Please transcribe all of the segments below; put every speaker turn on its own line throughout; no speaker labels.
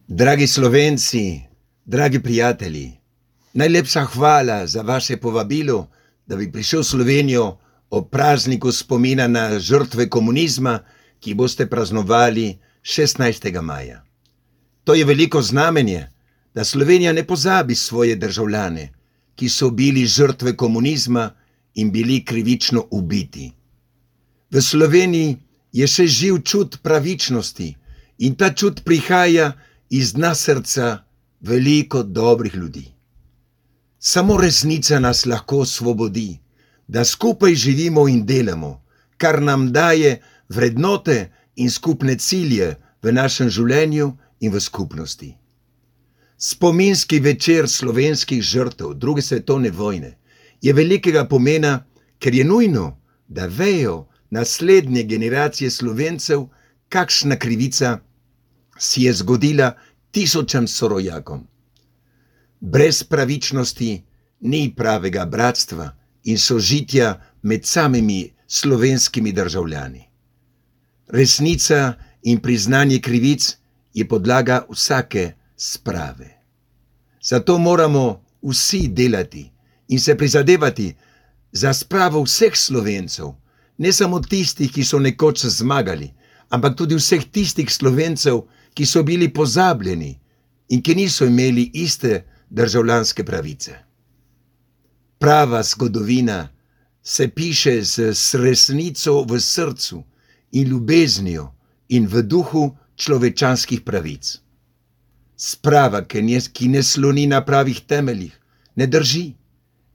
Dragi Slovenci, dragi prijatelji, najlepša hvala za vaše povabilo, da bi prišel v Slovenijo ob prazniku spomina na žrtve komunizma, ki boste praznovali 16. maja. To je veliko znamenje, da Slovenija ne pozabi svoje državljane, ki so bili žrtve komunizma in bili krivično ubiti. V Sloveniji je še živ čut pravičnosti in ta čut prihaja iz dna srca veliko dobrih ljudi. Samo resnica nas lahko osvobodi, da skupaj živimo in delamo, kar nam daje vrednote in skupne cilje v našem življenju in v skupnosti. Spominski večer slovenskih žrtev druge svetovne vojne je velikega pomena, ker je nujno, da vejo naslednje generacije Slovencev, kakšna krivica si je zgodila tisočam sorojakom. Brez pravičnosti ni pravega bratstva in sožitja med samimi slovenskimi državljani. Resnica in priznanje krivic je podlaga vsake sprave. Zato moramo vsi delati in se prizadevati za spravo vseh Slovencev, ne samo tistih, ki so nekoč zmagali, ampak tudi vseh tistih Slovencev, ki so bili pozabljeni in ki niso imeli iste državljanske pravice. Prava zgodovina se piše z resnico v srcu in ljubeznijo in v duhu človečanskih pravic. Sprava, ki ne sloni na pravih temeljih, ne drži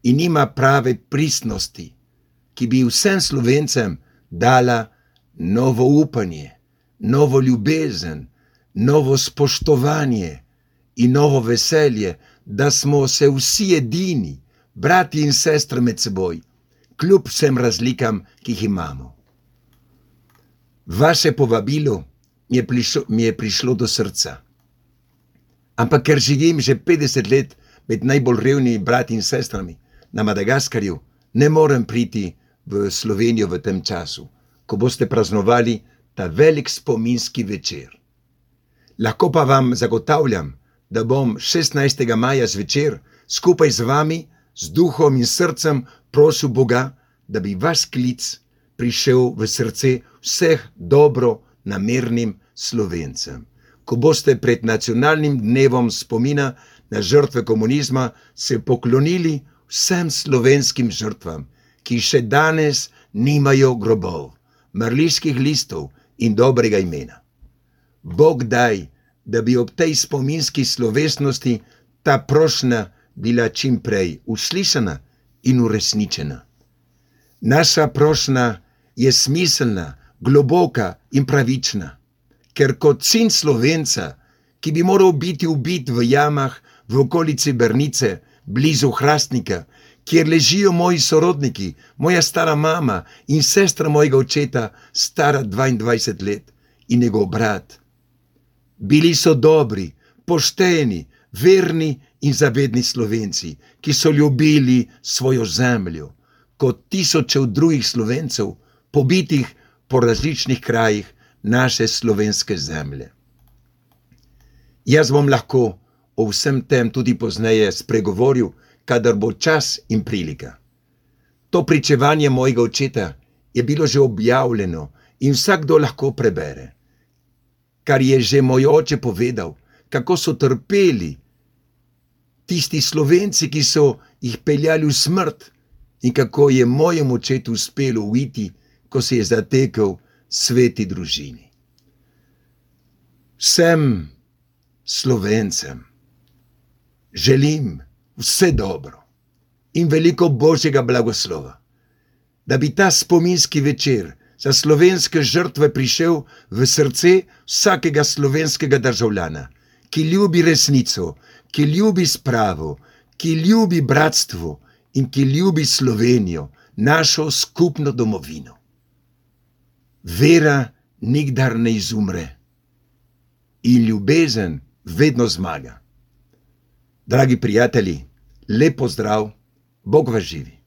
in nima prave pristnosti, ki bi vsem Slovencem dala novo upanje, novo ljubezen, novo spoštovanje in novo veselje, da smo se vsi edini, brati in sestre med seboj, kljub vsem razlikam, ki jih imamo. Vaše povabilo mi je prišlo do srca. Ampak ker živim že 50 let med najbolj revnimi brati in sestrami na Madagaskarju, ne morem priti v Slovenijo v tem času, ko boste praznovali ta velik spominski večer. Lahko pa vam zagotavljam, da bom 16. maja zvečer skupaj z vami, z duhom in srcem prosil Boga, da bi vaš klic prišel v srce vseh dobro namernim Slovencem. Ko boste pred nacionalnim dnevom spomina na žrtve komunizma se poklonili vsem slovenskim žrtvam, ki še danes nimajo grobov, mrliških listov in dobrega imena. Bog daj, da bi ob tej spominski slovesnosti ta prošnja bila čim prej uslišana in uresničena. Naša prošnja je smiselna, globoka in pravična, ker kot sin Slovenca, ki bi moral biti ubit v jamah v okolici Brnice, blizu Hrastnika, kjer ležijo moji sorodniki, moja stara mama in sestra mojega očeta, stara 22 let, in njegov brat. Bili so dobri, pošteni, verni in zavedni Slovenci, ki so ljubili svojo zemljo, kot tisočev drugih Slovencev, pobitih po različnih krajih naše slovenske zemlje. Jaz bom lahko o vsem tem tudi pozneje spregovoril, kadar bo čas in prilika. To pričevanje mojega očeta je bilo že objavljeno in vsakdo lahko prebere. Kar je že moj oče povedal, kako so trpeli tisti Slovenci, ki so jih peljali v smrt in kako je mojemu očetu uspelo uiti, ko se je zatekel sveti družini. Vsem Slovencem želim vse dobro in veliko Božjega blagoslova, da bi ta spominski večer za slovenske žrtve prišel v srce vsakega slovenskega državljana, ki ljubi resnico, ki ljubi spravo, ki ljubi bratstvo in ki ljubi Slovenijo, našo skupno domovino. Vera nikdar ne izumre in ljubezen vedno zmaga. Dragi prijatelji, lep pozdrav, Bog vas živi.